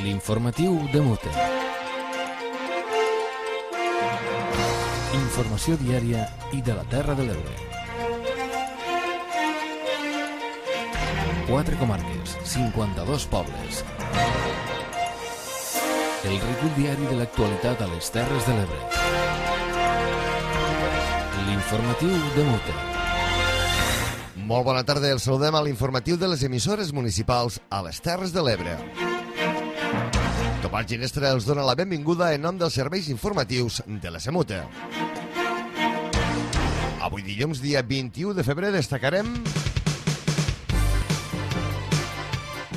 L'informatiu de Mute. Informació diària i de la Terra de l'Ebre. 4 comarques, 52 pobles. El recull diari de l'actualitat a les Terres de l'Ebre. L'informatiu de Mute. Molt bona tarda, els saludem a l'informatiu de les emissores municipals a les Terres de l'Ebre. Tomàs Ginestra els dona la benvinguda en nom dels serveis informatius de la SEMUTE. Avui dilluns, dia 21 de febrer, destacarem: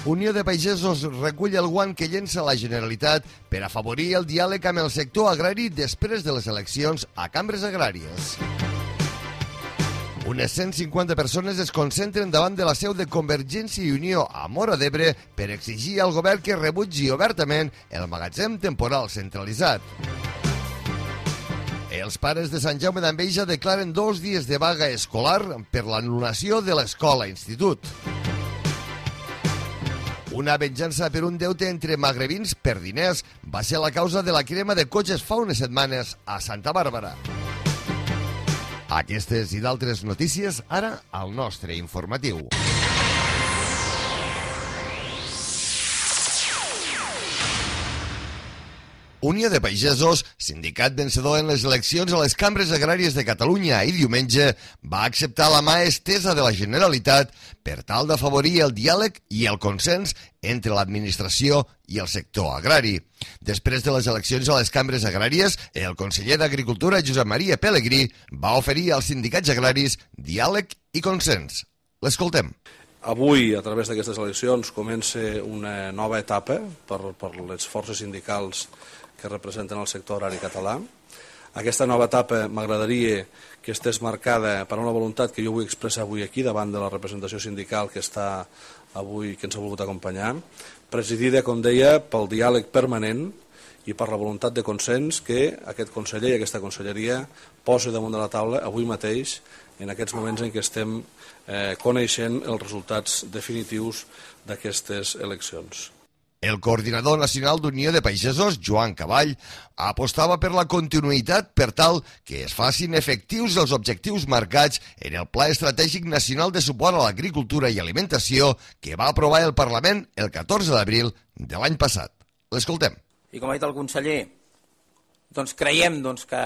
Unió de Pagesos recull el guant que llença la Generalitat per afavorir el diàleg amb el sector agrari després de les eleccions a cambres agràries. Unes 150 persones es concentren davant de la seu de Convergència i Unió a Móra d'Ebre per exigir al govern que rebutgi obertament el magatzem temporal centralitzat. Els pares de Sant Jaume d'Enveja declaren 2 dies de vaga escolar per l'anul·lació de l'escola-institut. Una venjança per un deute entre magrebins per diners va ser la causa de la crema de cotxes fa unes setmanes a Santa Bàrbara. Aquestes i d'altres notícies ara al nostre informatiu. Unió de Pagesos, sindicat vencedor en les eleccions a les cambres agràries de Catalunya i diumenge, va acceptar la mà estesa de la Generalitat per tal d'afavorir el diàleg i el consens entre l'administració i el sector agrari. Després de les eleccions a les cambres agràries, el conseller d'Agricultura, Josep Maria Pelegrí, va oferir als sindicats agraris diàleg i consens. L'escoltem. Avui, a través d'aquestes eleccions, comença una nova etapa per les forces sindicals que representen el sector agrari català. Aquesta nova etapa m'agradaria que estés marcada per una voluntat que jo vull expressar avui aquí davant de la representació sindical que està avui, que ens ha volgut acompanyar, presidida, com deia, pel diàleg permanent i per la voluntat de consens que aquest conseller i aquesta conselleria posa damunt de la taula avui mateix en aquests moments en què estem coneixent els resultats definitius d'aquestes eleccions. El coordinador nacional d'Unió de Pagesos, Joan Caball, apostava per la continuïtat per tal que es facin efectius els objectius marcats en el Pla Estratègic Nacional de Suport a l'Agricultura i Alimentació que va aprovar el Parlament el 14 d'abril de l'any passat. L'escoltem. I com ha dit el conseller, creiem que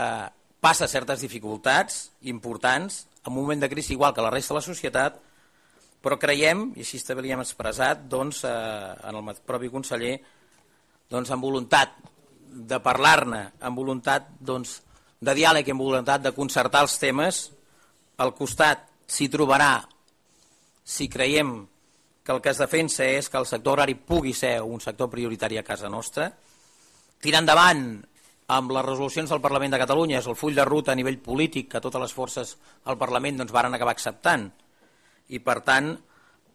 passa certes dificultats importants en un moment de crisi igual que la resta de la societat, però creiem, i així també li hem expressat en el propi conseller, amb voluntat de parlar-ne, amb voluntat de diàleg i amb voluntat de concertar els temes, al costat s'hi trobarà, si creiem que el que es defensa és que el sector agrari pugui ser un sector prioritari a casa nostra, tirar endavant amb les resolucions del Parlament de Catalunya, és el full de ruta a nivell polític que totes les forces al Parlament varen acabar acceptant. I, per tant,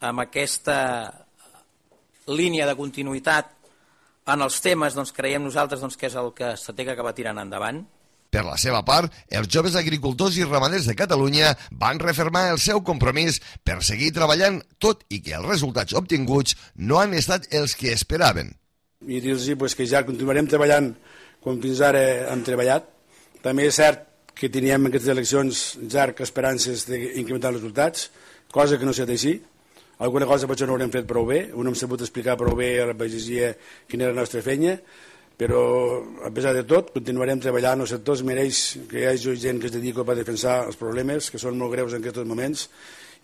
amb aquesta línia de continuïtat en els temes, creiem nosaltres que és el que s'ha d'acabar tirant endavant. Per la seva part, els joves agricultors i ramaders de Catalunya van refermar el seu compromís per seguir treballant, tot i que els resultats obtinguts no han estat els que esperaven. I dir-los que ja continuarem treballant com fins ara hem treballat. També és cert que teníem en aquestes eleccions ja esperances d'incrementar els resultats, cosa que no ha estat així. Alguna cosa potser no haurem fet prou bé, no hem sabut explicar prou bé a la pagesia quina era la nostra feina, però a pesar de tot continuarem treballant. El sector es mereix que hi hagi gent que es dedica a defensar els problemes, que són molt greus en aquests moments,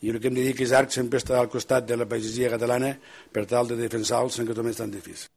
i el que hem de dir que ARC sempre està al costat de la pagesia catalana per tal de defensar-los en aquests moments tan difícils.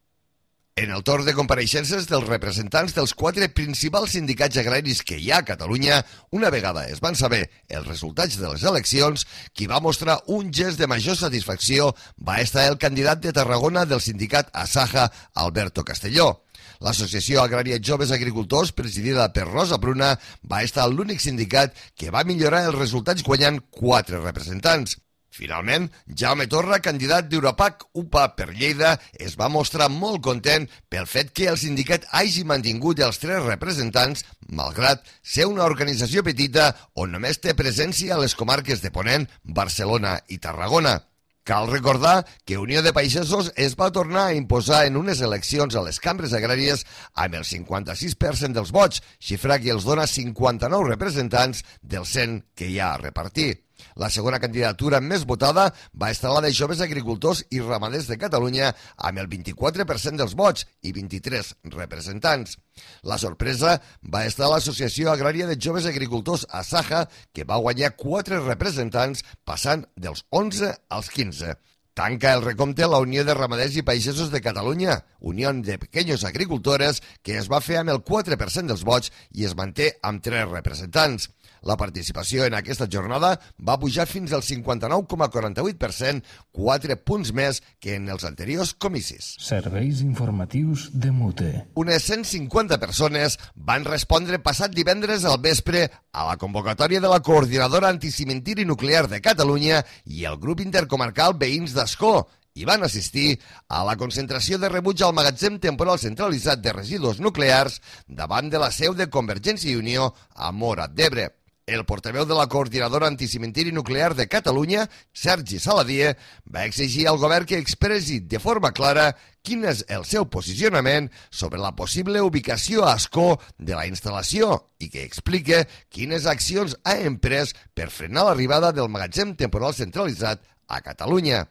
En el torn de compareixences dels representants dels 4 principals sindicats agraris que hi ha a Catalunya, una vegada es van saber els resultats de les eleccions, qui va mostrar un gest de major satisfacció va estar el candidat de Tarragona del sindicat Asaja, Alberto Castelló. L'Associació Agrària Joves Agricultors, presidida per Rosa Pruna, va estar l'únic sindicat que va millorar els resultats guanyant 4 representants. Finalment, Jaume Torra, candidat d'Europac UPA per Lleida, es va mostrar molt content pel fet que el sindicat hagi mantingut els 3 representants, malgrat ser una organització petita on només té presència a les comarques de Ponent, Barcelona i Tarragona. Cal recordar que Unió de Pagesos es va tornar a imposar en unes eleccions a les cambres agràries amb el 56% dels vots, xifra que els dona 59 representants dels 100 que hi ha a repartir. La segona candidatura més votada va estar la de Joves Agricultors i Ramaders de Catalunya amb el 24% dels vots i 23 representants. La sorpresa va estar a l'Associació Agrària de Joves Agricultors Asaja, que va guanyar 4 representants passant dels 11 als 15. Tanca el recompte la Unió de Ramaders i Pagesos de Catalunya, Unió de Pequeños Agricultores, que es va fer amb el 4% dels vots i es manté amb 3 representants. La participació en aquesta jornada va pujar fins al 59,48%, 4 punts més que en els anteriors comicis. Serveis informatius de Mute. Unes 150 persones van respondre passat divendres al vespre a la convocatòria de la Coordinadora Anticimentiri Nuclear de Catalunya i el grup intercomarcal Veïns d'Ascó, i van assistir a la concentració de rebuig al magatzem temporal centralitzat de residus nuclears davant de la seu de Convergència i Unió a Móra d'Ebre. El portaveu de la Coordinadora Anticimentiri Nuclear de Catalunya, Sergi Saladié, va exigir al govern que expressi de forma clara quin és el seu posicionament sobre la possible ubicació a Ascó de la instal·lació i que explique quines accions ha emprès per frenar l'arribada del magatzem temporal centralitzat a Catalunya.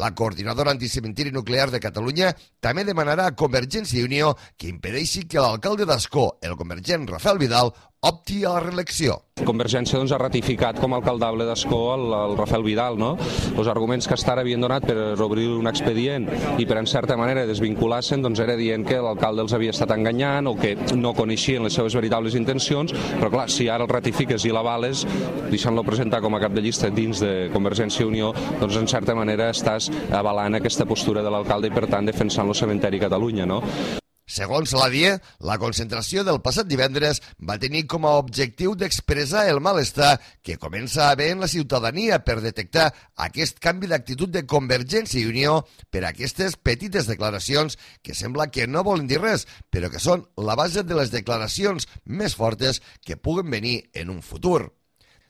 La Coordinadora Anticimentiri Nuclear de Catalunya també demanarà a Convergència i Unió que impedeixi que l'alcalde d'Ascó, el convergent Rafael Vidal, opti a la reelecció. Convergència ha ratificat com a alcaldable d'Ascó el Rafael Vidal, no? Els arguments que hasta ara havien donat per obrir un expedient i per en certa manera desvincular-se'n, doncs era dient que l'alcalde els havia estat enganyant o que no coneixien les seves veritables intencions, però clar, si ara el ratifiques i l'avales, deixant-lo presentar com a cap de llista dins de Convergència i Unió, doncs en certa manera estàs avalant aquesta postura de l'alcalde i per tant defensant el cementeri Catalunya, no? Segons Saladié, la concentració del passat divendres va tenir com a objectiu d'expressar el malestar que comença a haver en la ciutadania per detectar aquest canvi d'actitud de Convergència i Unió per aquestes petites declaracions que sembla que no volen dir res, però que són la base de les declaracions més fortes que puguen venir en un futur.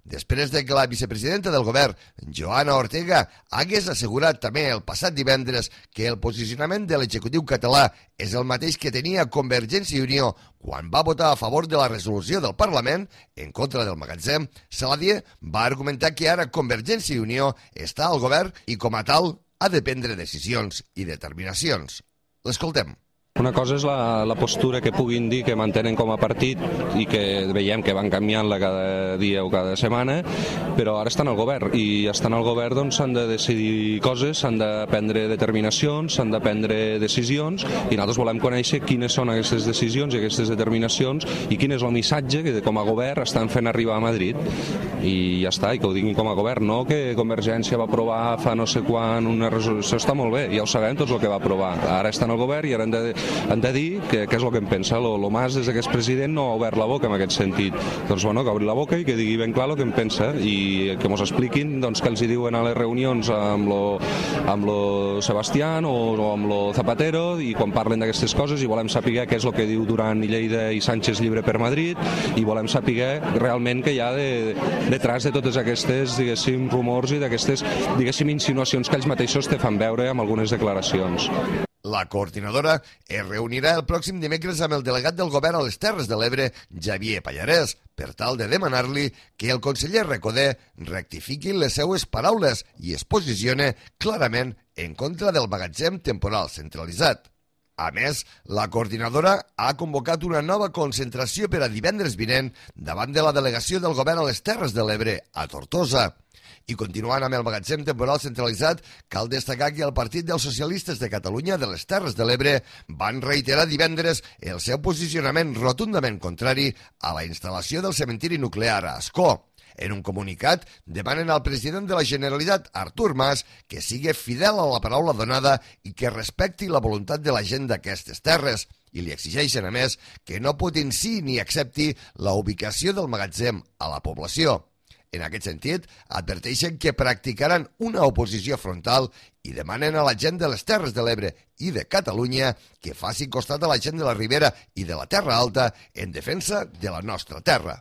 Després de que la vicepresidenta del govern, Joana Ortega, hagués assegurat també el passat divendres que el posicionament de l'executiu català és el mateix que tenia Convergència i Unió quan va votar a favor de la resolució del Parlament en contra del magatzem, Saladié va argumentar que ara Convergència i Unió està al govern i com a tal ha de prendre decisions i determinacions. L'escoltem. Una cosa és la postura que puguin dir que mantenen com a partit i que veiem que van canviant-la cada dia o cada setmana, però ara estan al govern i estan al govern doncs s'han de decidir coses, s'han de prendre determinacions, s'han de prendre decisions i nosaltres volem conèixer quines són aquestes decisions i aquestes determinacions i quin és el missatge que com a govern estan fent arribar a Madrid i ja està, i que ho diguin com a govern, no que Convergència va aprovar fa no sé quan una resolució, està molt bé, ja ho sabem tots el que va aprovar, ara estan al govern i ara han de dir què és el que en pensa. Lo Mas, des que és president, no ha obert la boca en aquest sentit. Doncs bueno, que obri la boca i que digui ben clar el que en pensa i que ens expliquin doncs, què els hi diuen a les reunions amb lo Sebastián o amb lo Zapatero i quan parlen d'aquestes coses i volem saber què és el que diu Duran i Lleida i Sánchez llibre per Madrid i volem saber realment què hi ha detrás de totes aquestes, diguéssim, rumors i d'aquestes, diguéssim, insinuacions que ells mateixos te fan veure amb algunes declaracions. La coordinadora es reunirà el pròxim dimecres amb el delegat del govern a les Terres de l'Ebre, Xavier Pallarès, per tal de demanar-li que el conseller Recoder rectifiqui les seues paraules i es posicione clarament en contra del magatzem temporal centralitzat. A més, la coordinadora ha convocat una nova concentració per a divendres vinent davant de la delegació del govern a les Terres de l'Ebre, a Tortosa. I continuant amb el magatzem temporal centralitzat, cal destacar que el Partit dels Socialistes de Catalunya de les Terres de l'Ebre van reiterar divendres el seu posicionament rotundament contrari a la instal·lació del cementiri nuclear a Ascó. En un comunicat, demanen al president de la Generalitat, Artur Mas, que sigui fidel a la paraula donada i que respecti la voluntat de la gent d'aquestes terres. I li exigeixen, a més, que no potenciï ni accepti la ubicació del magatzem a la població. En aquest sentit, adverteixen que practicaran una oposició frontal i demanen a la gent de les Terres de l'Ebre i de Catalunya que faci costat a la gent de la Ribera i de la Terra Alta en defensa de la nostra terra.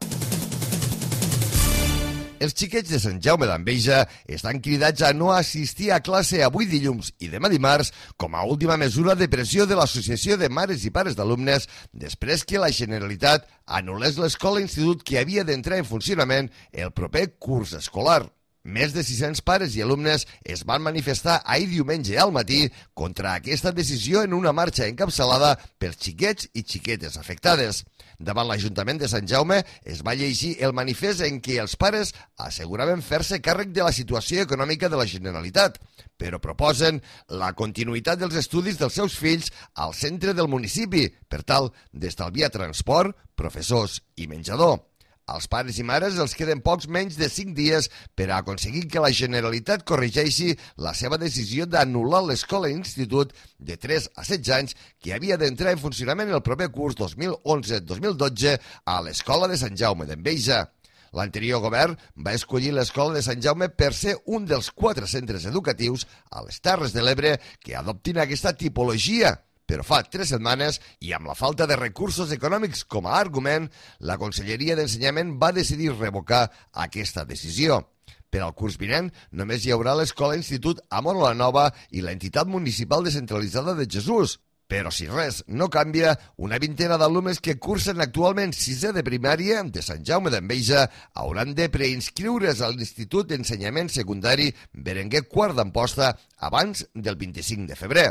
Els xiquets de Sant Jaume d'Enveja estan cridats a no assistir a classe avui dilluns i demà dimarts com a última mesura de pressió de l'Associació de Mares i Pares d'Alumnes després que la Generalitat anul·lés l'escola-institut que havia d'entrar en funcionament el proper curs escolar. Més de 600 pares i alumnes es van manifestar ahir diumenge al matí contra aquesta decisió en una marxa encapçalada pels xiquets i xiquetes afectades. Davant l'Ajuntament de Sant Jaume es va llegir el manifest en què els pares asseguraven fer-se càrrec de la situació econòmica de la Generalitat, però proposen la continuïtat dels estudis dels seus fills al centre del municipi per tal d'estalviar transport, professors i menjador. Als pares i mares els queden pocs menys de 5 dies per a aconseguir que la Generalitat corregeixi la seva decisió d'anul·lar l'escola-institut de 3 a 16 anys que havia d'entrar en funcionament el proper curs 2011-2012 a l'Escola de Sant Jaume d'Enveja. L'anterior govern va escollir l'Escola de Sant Jaume per ser un dels 4 centres educatius a les Terres de l'Ebre que adoptin aquesta tipologia. Però fa 3 setmanes, i amb la falta de recursos econòmics com a argument, la Conselleria d'Ensenyament va decidir revocar aquesta decisió. Per al curs vinent, només hi haurà l'Escola-Institut a Móra la Nova i l'entitat municipal descentralitzada de Jesús. Però si res no canvia, una vintena d'alumnes que cursen actualment 6è de primària de Sant Jaume d'Enveja hauran de preinscriure's a l'Institut d'Ensenyament Secundari Berenguer IV d'Amposta abans del 25 de febrer.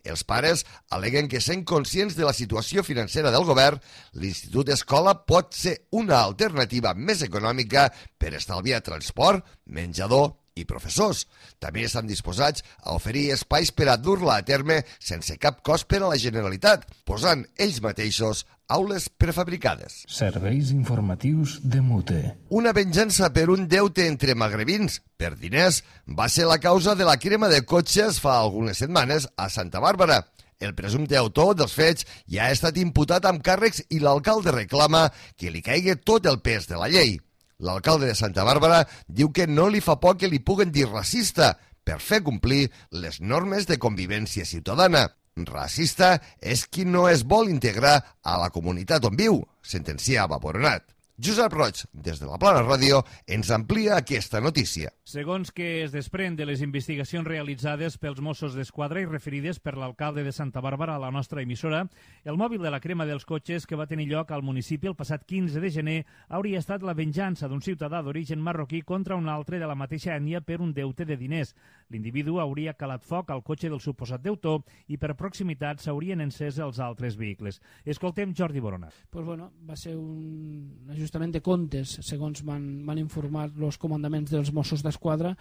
Els pares aleguen que, sent conscients de la situació financera del govern, l'Institut Escola pot ser una alternativa més econòmica per estalviar transport, menjador i professors. També estan disposats a oferir espais per a dur-la a terme sense cap cost per a la Generalitat, posant ells mateixos aules prefabricades. Serveis informatius de Mute. Una venjança per un deute entre magrebins per diners va ser la causa de la crema de cotxes fa algunes setmanes a Santa Bàrbara. El presumpte autor dels fets ja ha estat imputat amb càrrecs i l'alcalde reclama que li caigui tot el pes de la llei. L'alcalde de Santa Bàrbara diu que no li fa por que li puguen dir racista per fer complir les normes de convivència ciutadana. Racista és qui no es vol integrar a la comunitat on viu, sentenciava Boronat. Josep Roig, des de la Plana Ràdio, ens amplia aquesta notícia. Segons que es desprèn de les investigacions realitzades pels Mossos d'Esquadra i referides per l'alcalde de Santa Bàrbara a la nostra emissora, el mòbil de la crema dels cotxes que va tenir lloc al municipi el passat 15 de gener hauria estat la venjança d'un ciutadà d'origen marroquí contra un altre de la mateixa ètnia per un deute de diners. L'individu hauria calat foc al cotxe del suposat deutor i per proximitat s'haurien encès els altres vehicles. Escoltem Jordi Boronat. Pues bueno, va ser un ajustament de comptes, segons m'han informat els comandaments dels Mossos d'Esquadra,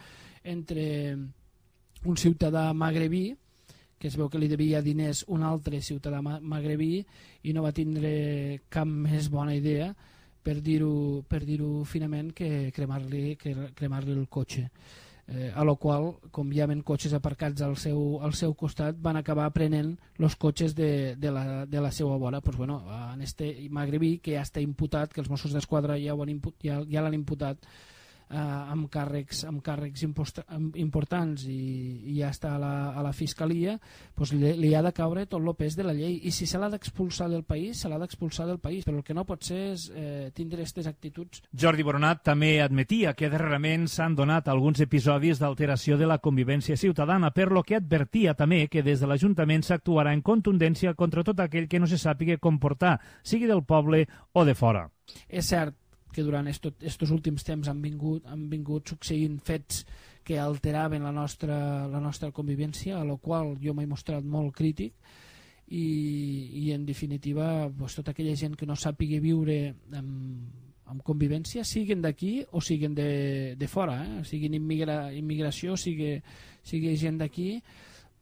entre un ciutadà magrebí, que es veu que li devia diners un altre ciutadà magrebí, i no va tindre cap més bona idea, per dir-ho finament, que cremar-li el cotxe. A la qual, com hi havia cotxes aparcats al seu costat, van acabar prenent els cotxes de la seva vora. Pues bueno, en este magrebí, que ja està imputat, que els Mossos d'Esquadra ja l'han imputat amb càrrecs importants i ja està a la Fiscalia, pues li ha de caure tot el pes de la llei, i si se l'ha d'expulsar del país, se l'ha d'expulsar del país, però el que no pot ser és tindre aquestes actituds. Jordi Boronat també admetia que darrerament s'han donat alguns episodis d'alteració de la convivència ciutadana, per lo que advertia també que des de l'Ajuntament s'actuarà en contundència contra tot aquell que no se sàpiga comportar, sigui del poble o de fora. És cert que durant estos últims temps han vingut succeint fets que alteraven la nostra convivència, a la qual jo m'he mostrat molt crític, i en definitiva pues, tota aquella gent que no sàpiga viure amb convivència, siguin d'aquí o siguin de fora, siguin immigració, sigui gent d'aquí,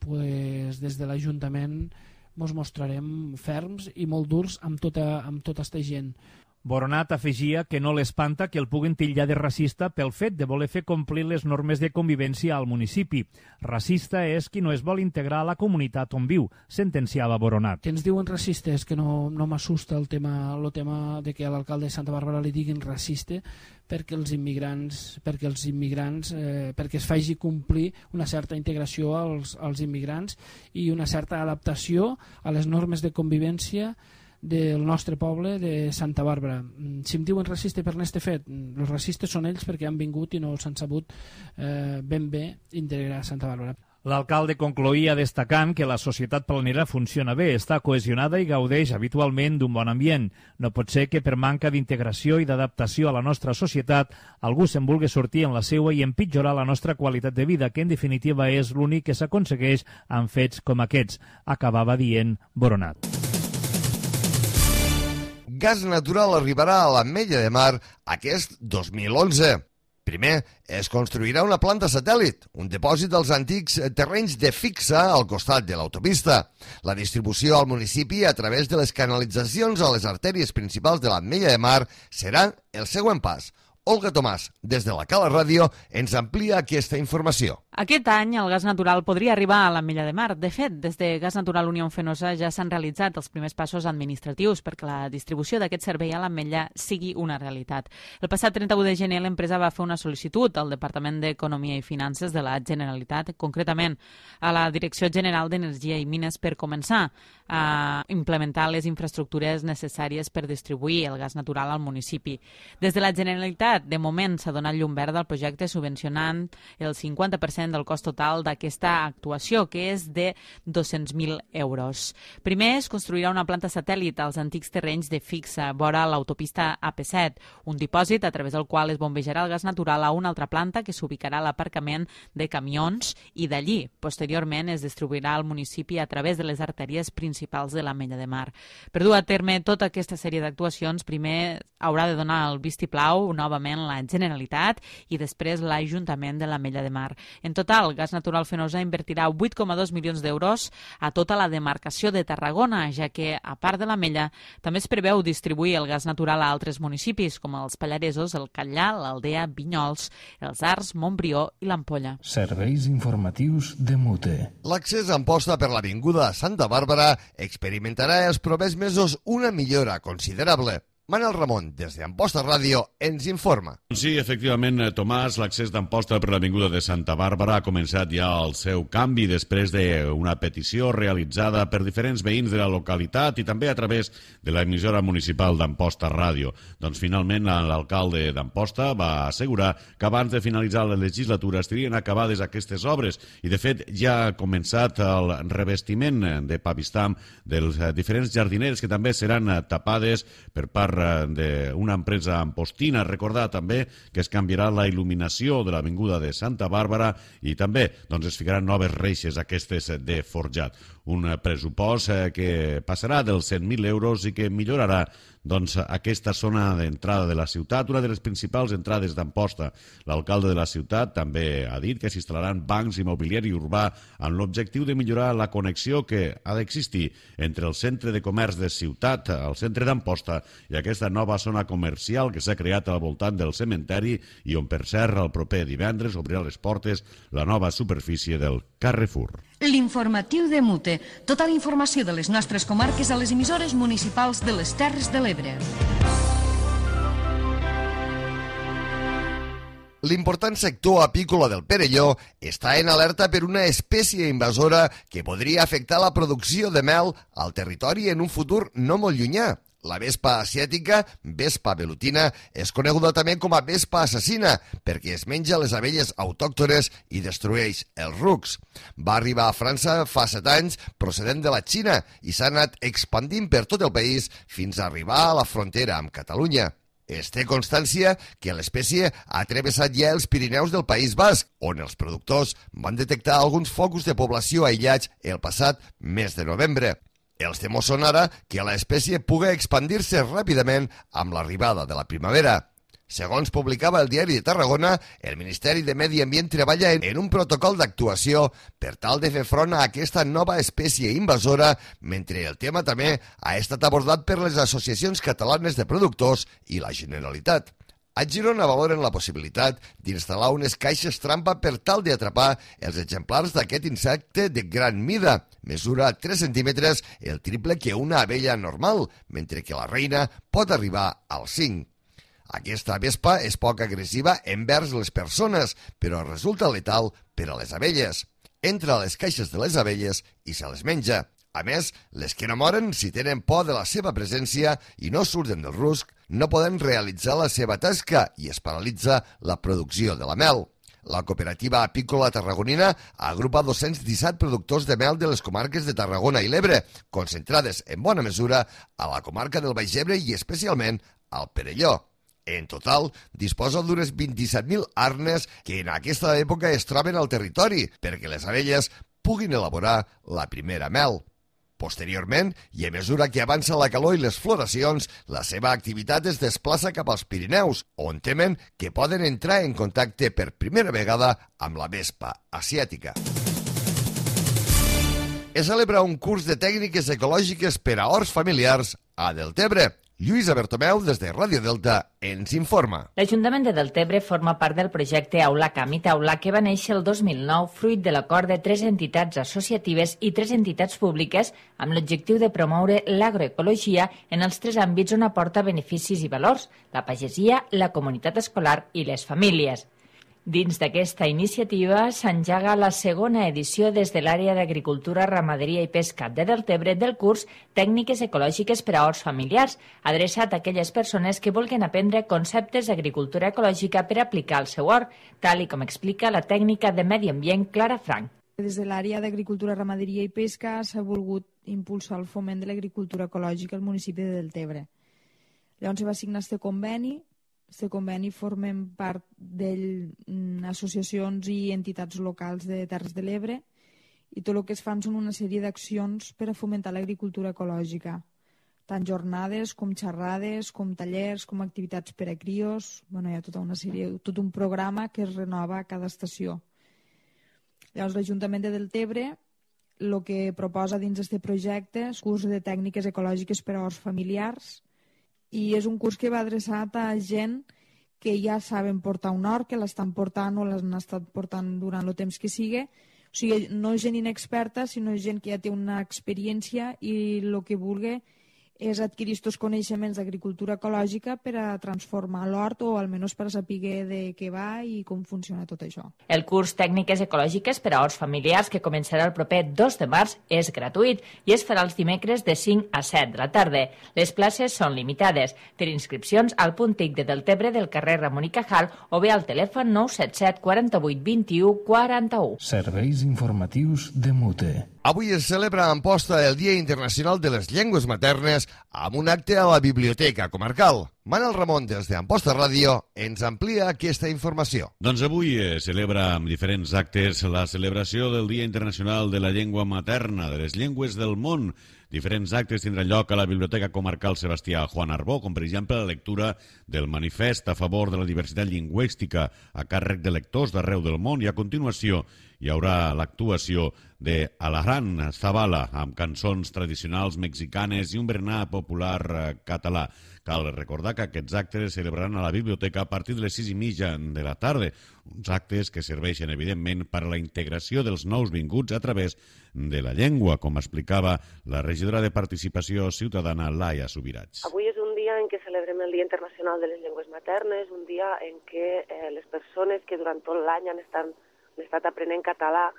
pues, des de l'Ajuntament ens mostrarem ferms i molt durs amb tota aquesta gent. Boronat afegia que no l'espanta que el puguen titllar de racista pel fet de voler fer complir les normes de convivència al municipi. Racista és qui no es vol integrar a la comunitat on viu, sentenciava Boronat. Que ens diuen racistes, que no m'assusta el tema de que a l'alcalde de Santa Bàrbara li diguin racista, perquè es faci complir una certa integració als immigrants i una certa adaptació a les normes de convivència del nostre poble, de Santa Bàrbara. Si em diuen racista per aquest fet, els racistes són ells perquè han vingut i no s'han sabut ben bé integrar a Santa Bàrbara. L'alcalde concloïa destacant que la societat planera funciona bé, està cohesionada i gaudeix habitualment d'un bon ambient. No pot ser que per manca d'integració i d'adaptació a la nostra societat algú se'n vulgui sortir en la seua i empitjorar la nostra qualitat de vida, que en definitiva és l'únic que s'aconsegueix amb fets com aquests, acabava dient Boronat. Gas natural arribarà a l'Ametlla de Mar aquest 2011. Primer, es construirà una planta satèl·lit, un dipòsit dels antics terrenys de fixa al costat de l'autopista. La distribució al municipi a través de les canalitzacions a les artèries principals de l'Ametlla de Mar serà el següent pas. Olga Tomàs, des de la Cala Ràdio, ens amplia aquesta informació. Aquest any el gas natural podria arribar a l'Ametlla de Mar. De fet, des de Gas Natural Unió Fenosa ja s'han realitzat els primers passos administratius perquè la distribució d'aquest servei a l'Ametlla sigui una realitat. El passat 31 de gener l'empresa va fer una sol·licitud al Departament d'Economia i Finances de la Generalitat, concretament a la Direcció General d'Energia i Mines, per començar a implementar les infraestructures necessàries per distribuir el gas natural al municipi. Des de la Generalitat, de moment, s'ha donat llum verda al projecte subvencionant el 50% del cost total d'aquesta actuació, que és de 200.000 euros. Primer es construirà una planta satèl·lit als antics terrenys de fixa vora l'autopista AP7, un dipòsit a través del qual es bombejarà el gas natural a una altra planta que s'ubicarà a l'aparcament de camions i d'allí, posteriorment, es distribuirà al municipi a través de les artèries principals de l'Ametlla de Mar. Per dur a terme tota aquesta sèrie d'actuacions, primer haurà de donar el vistiplau novament la Generalitat i després l'Ajuntament de l'Ametlla de Mar. En total, Gas Natural Fenosa invertirà 8,2 milions d'euros a tota la demarcació de Tarragona, ja que, a part de l'Ametlla, també es preveu distribuir el gas natural a altres municipis, com els Pallaresos, el Catllà, l'Aldea, Vinyols, els Arcs, Montbrió i l'Ampolla. Serveis informatius de Mute. L'accés a Amposta per l'avinguda Santa Bàrbara experimentarà els propers mesos una millora considerable. Manel Ramon, des d'Amposta Ràdio, ens informa. Sí, efectivament, Tomàs, l'accés d'Amposta per l'avinguda de Santa Bàrbara ha començat ja el seu canvi després d'una petició realitzada per diferents veïns de la localitat i també a través de l'emissora municipal d'Amposta Ràdio. Doncs finalment l'alcalde d'Amposta va assegurar que abans de finalitzar la legislatura estarien acabades aquestes obres i de fet ja ha començat el revestiment de pavistam dels diferents jardineres que també seran tapades per part d'una empresa ampostina. Recordar també que es canviarà la il·luminació de l'avinguda de Santa Bàrbara i també es ficaran noves reixes aquestes de forjat. Un pressupost que passarà dels 100.000 euros i que millorarà aquesta zona d'entrada de la ciutat, una de les principals entrades d'Amposta. L'alcalde de la ciutat també ha dit que s'instal·laran bancs i mobiliari urbà amb l'objectiu de millorar la connexió que ha d'existir entre el centre de comerç de ciutat, el centre d'Amposta, i aquesta nova zona comercial que s'ha creat al voltant del cementeri i on, per cert, el proper divendres obrirà les portes la nova superfície del Carrefour. L'informatiu de Mute. Tota la informació de les nostres comarques a les emissores municipals de les Terres de l'Ebre. L'important sector apícola del Perelló està en alerta per una espècie invasora que podria afectar la producció de mel al territori en un futur no molt llunyà. La vespa asiàtica, vespa velutina, és coneguda també com a vespa assassina perquè es menja les abelles autòctones i destrueix els rucs. Va arribar a França fa 7 anys procedent de la Xina i s'ha anat expandint per tot el país fins a arribar a la frontera amb Catalunya. Es té constància que l'espècie ha travessat ja els Pirineus del País Basc, on els productors van detectar alguns focus de població aïllats el passat mes de novembre. Els temors són ara que l'espècie pugui expandir-se ràpidament amb l'arribada de la primavera. Segons publicava el Diari de Tarragona, el Ministeri de Medi Ambient treballa en un protocol d'actuació per tal de fer front a aquesta nova espècie invasora, mentre el tema també ha estat abordat per les associacions catalanes de productors i la Generalitat. A Girona valoren la possibilitat d'instal·lar unes caixes trampa per tal d'atrapar els exemplars d'aquest insecte de gran mida. Mesura 3 centímetres, el triple que una abella normal, mentre que la reina pot arribar als 5. Aquesta vespa és poc agressiva envers les persones, però resulta letal per a les abelles. Entra a les caixes de les abelles i se les menja. A més, les que no moren, si tenen por de la seva presència i no surten del rusc, no poden realitzar la seva tasca i es paralitza la producció de la mel. La cooperativa apícola tarragonina agrupa 217 productors de mel de les comarques de Tarragona i l'Ebre, concentrades en bona mesura a la comarca del Baix Ebre i especialment al Perelló. En total, disposa d'unes 27.000 arnes que en aquesta època es troben al territori perquè les abelles puguin elaborar la primera mel. Posteriorment, i a mesura que avança la calor i les floracions, la seva activitat es desplaça cap als Pirineus, on temen que poden entrar en contacte per primera vegada amb la vespa asiàtica. Es celebra un curs de tècniques ecològiques per a horts familiars a Deltebre. Lluïsa Bertomeu, des de Ràdio Delta, ens informa. L'Ajuntament de Deltebre forma part del projecte Aula Camp i Taula que va néixer el 2009 fruit de l'acord de 3 entitats associatives i 3 entitats públiques amb l'objectiu de promoure l'agroecologia en els 3 àmbits on aporta beneficis i valors, la pagesia, la comunitat escolar i les famílies. Dins d'aquesta iniciativa s'engega la segona edició des de l'àrea d'Agricultura, Ramaderia i Pesca de Deltebre del curs Tècniques ecològiques per a horts familiars, adreçat a aquelles persones que vulguin aprendre conceptes d'agricultura ecològica per aplicar al seu hort, tal i com explica la tècnica de Medi Ambient Clara Frank. Des de l'àrea d'Agricultura, Ramaderia i Pesca s'ha volgut impulsar el foment de l'agricultura ecològica al municipi de Deltebre. Llavors se va signar este conveni. Este conveni formem part d'associacions i entitats locals de Terres de l'Ebre i tot el que es fan són una sèrie d'accions per a fomentar l'agricultura ecològica, tant jornades com xerrades, com tallers, com activitats per a crios. Hi ha tota una sèrie, tot un programa que es renova a cada estació. Llavors l'Ajuntament de Deltebre el que proposa dins d'aquest projecte és curs de tècniques ecològiques per a horts familiars, i és un curs que va adreçat a gent que ja saben portar un hort, que l'estan portant o l'han estat portant durant el temps que sigui. O sigui, no és gent inexperta, sinó gent que ja té una experiència i el que vulgui és adquirir aquests coneixements d'agricultura ecològica per a transformar l'hort o almenys per a saber de què va i com funciona tot això. El curs Tècniques ecològiques per a horts familiars, que començarà el proper 2 de març, és gratuït i es farà els dimecres de 5 a 7 de la tarda. Les places són limitades. Per inscripcions al punt TIC de Deltebre del carrer Ramon i Cajal o bé al telèfon 977 48 21 41. Serveis informatius de Mute. Avui es celebra a Amposta el Dia Internacional de les Llengües Maternes amb un acte a la Biblioteca Comarcal. Manel Ramon, des d'Amposta Ràdio, ens amplia aquesta informació. Doncs avui es celebra amb diferents actes la celebració del Dia Internacional de la Llengua Materna, de les llengües del món. Diferents actes tindran lloc a la Biblioteca Comarcal Sebastià Juan Arbó, com per exemple la lectura del manifest a favor de la diversitat lingüística a càrrec de lectors d'arreu del món, i a continuació hi haurà l'actuació de Alaján Zabala amb cançons tradicionals mexicanes i un berenar popular català. Cal recordar que aquests actes es celebraran a la biblioteca a partir de les 6:30 de la tarda, uns actes que serveixen evidentment per a la integració dels nous vinguts a través de la llengua, com explicava la regidora de Participació Ciutadana, Laia Subirats. Avui és un dia en què celebrem el Dia Internacional de les Llengües Maternes, un dia en què les persones que durant tot l'any han estat aprenent català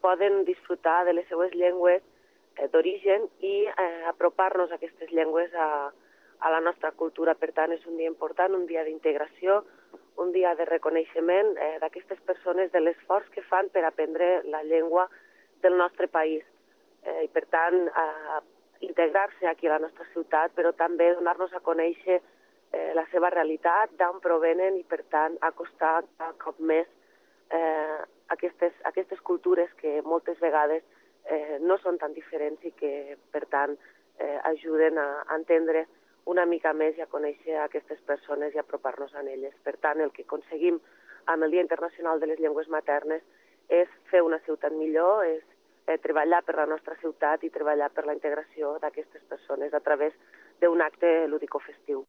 poden disfrutar de les seues llengües d'origen i apropar-nos a aquestes llengües a la nostra cultura. Per tant, és un dia important, un dia d'integració, un dia de reconeixement d'aquestes persones, de l'esforç que fan per aprendre la llengua del nostre país. I per tant, integrar-se aquí a la nostra ciutat, però també donar-nos a conèixer la seva realitat, d'on provenen i per tant acostar cada cop més aquestes cultures que moltes vegades no són tan diferents i que per tant ajuden a entendre una mica més i a conèixer aquestes persones i apropar-nos a elles. Per tant, el que aconseguim amb el Dia Internacional de les Llengües Maternes és fer una ciutat millor, és treballar per la nostra ciutat i treballar per la integració d'aquestes persones a través d'un acte lúdico-festiu.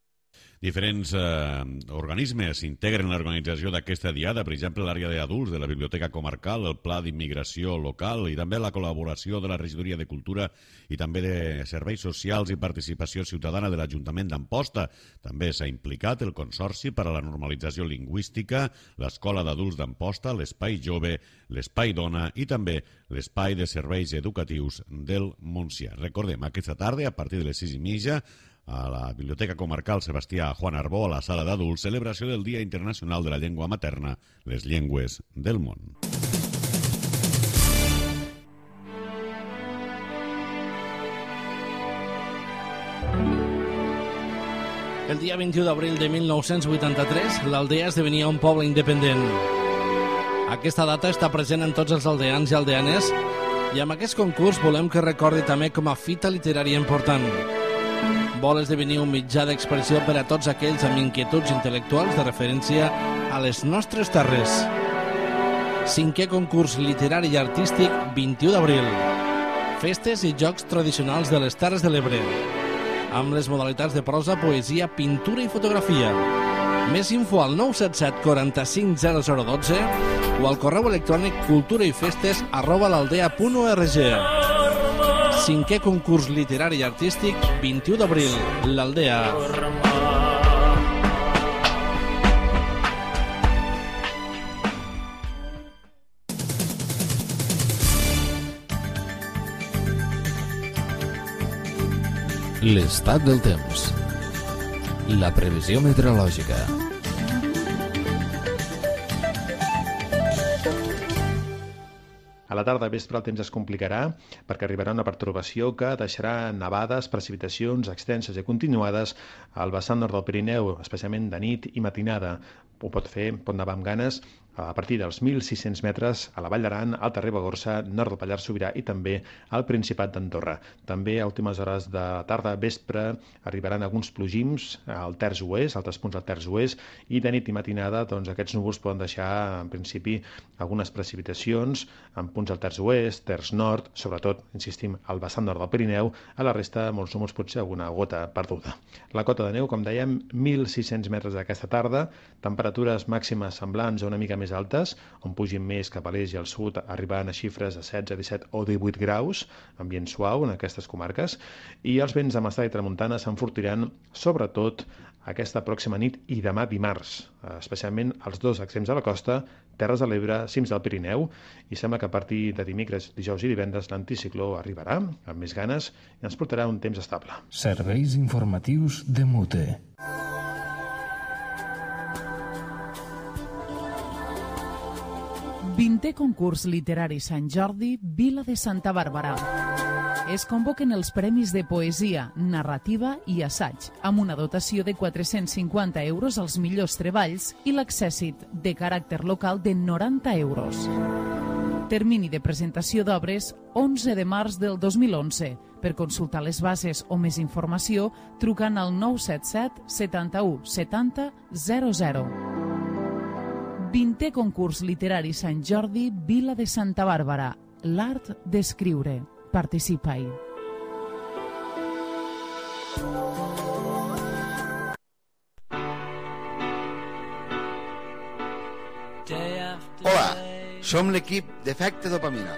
Diferents organismes integren l'organització d'aquesta diada, per exemple l'àrea d'adults de la Biblioteca Comarcal, el Pla d'Immigració Local i també la col·laboració de la Regidoria de Cultura i també de Serveis Socials i Participació Ciutadana de l'Ajuntament d'Amposta. També s'ha implicat el Consorci per a la Normalització Lingüística, l'Escola d'Adults d'Amposta, l'Espai Jove, l'Espai Dona i també l'Espai de Serveis Educatius del Montsià. Recordem, aquesta tarda, a partir de les 6:30, a la Biblioteca Comarcal Sebastià Juan Arbó, a la sala d'adults, celebració del Dia Internacional de la Llengua Materna, les llengües del món. El dia 21 d'abril de 1983, l'Aldea esdevenia un poble independent. Aquesta data està present en tots els aldeans i aldeanes i amb aquest concurs volem que recordi també com a fita literària important. Vol esdevenir un mitjà d'expressió per a tots aquells amb inquietuds intel·lectuals de referència a les nostres terres. 5è concurs literari i artístic 21 d'abril. Festes i jocs tradicionals de les Terres de l'Ebre, amb les modalitats de prosa, poesia, pintura i fotografia. Més info al 977 45 0012 o al correu electrònic culturaifestes@l'aldea.org. 5è concurs literari i artístic 21 d'abril, l'Aldea. L'estat del temps. La previsió meteorològica. A la tarda vespre el temps es complicarà perquè arribarà una pertorbació que deixarà nevades, precipitacions extenses i continuades al vessant nord del Pirineu, especialment de nit i matinada. Ho pot nevar amb ganes a partir dels 1.600 metres a la Vall d'Aran, Alta Ribagorça, nord del Pallars Sobirà i també al Principat d'Andorra. També a últimes hores de la tarda vespre arribaran alguns plogims al terç oest, altres punts al terç oest, i de nit i matinada aquests núvols poden deixar en principi algunes precipitacions en punts al terç oest, terç nord, sobretot, insistim, al vessant nord del Pirineu, a la resta molts núvols, potser alguna gota perduda. La cota de neu, com dèiem, 1.600 metres aquesta tarda, temperatures màximes semblants o una mica més altes, on pugin més cap a l'est i al sud, arribant a xifres de 16, 17 o 18 graus, ambient suau en aquestes comarques, i els vents de mestral i tramuntana s'enfortiran sobretot aquesta pròxima nit i demà dimarts, especialment als dos extrems de la costa, Terres de l'Ebre, cims del Pirineu, i sembla que a partir de dimecres, dijous i divendres l'anticicló arribarà amb més ganes i ens portarà un temps estable. Serveis informatius de Mute. Vintè concurs literari Sant Jordi, Vila de Santa Bàrbara. Es convoquen els premis de poesia, narrativa i assaig, amb una dotació de 450 euros als millors treballs i l'accèssit de caràcter local de 90 euros. Termini de presentació d'obres 11 de març del 2011. Per consultar les bases o més informació, trucant al 977 71 70 00. 20è concurs literari Sant Jordi, Vila de Santa Bàrbara. L'art d'escriure. Participa-hi. Hola, som l'equip d'Efecte Dopamina.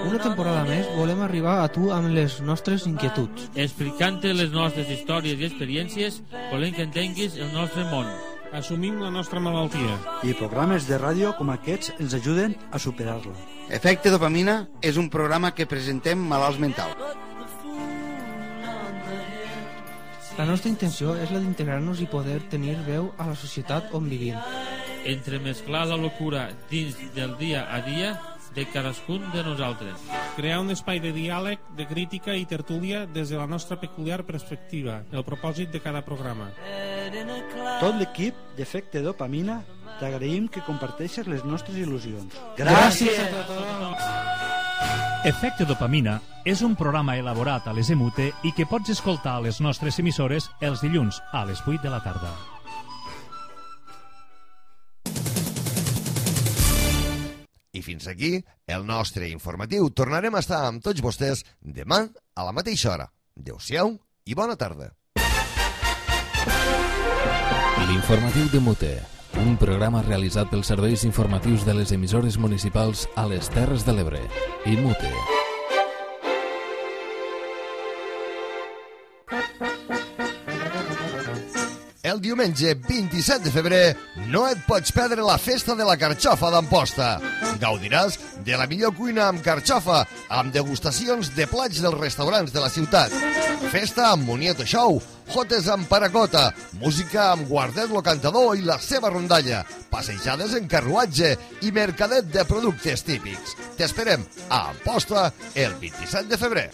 Una temporada més volem arribar a tu amb les nostres inquietuds. Explicant-te les nostres històries i experiències, volem que entenguis el nostre món. Assumim la nostra malaltia. I programes de ràdio com aquests ens ajuden a superar-la. Efecte Dopamina és un programa que presentem malalts mentals. La nostra intenció és la d'integrar-nos i poder tenir veu a la societat on vivim. Entremesclar la locura dins del dia a dia de cadascun de nosaltres. Crear un espai de diàleg, de crítica i tertúlia des de la nostra peculiar perspectiva, el propòsit de cada programa. Tot l'equip d'Efecte Dopamina t'agraïm que comparteixes les nostres il·lusions. Gràcies a tothom! Efecte Dopamina és un programa elaborat a les EMUTE i que pots escoltar a les nostres emissores els dilluns a les 8 de la tarda. I fins aquí el nostre informatiu. Tornarem a estar amb tots vostès demà a la mateixa hora. Adéu-siau i bona tarda. L'informatiu de Mute, un programa realitzat pels serveis informatius de les emissores municipals a les Terres de l'Ebre i Mute. El diumenge 27 de febrer no et pots perdre la festa de la carxofa d'Amposta. Gaudiràs de la millor cuina amb carxofa, amb degustacions de plats dels restaurants de la ciutat. Festa amb Monieto Show, jotes amb paracota, música amb Guardet lo Cantador i la seva rondalla, passejades en carruatge i mercadet de productes típics. T'esperem a Amposta el 27 de febrer.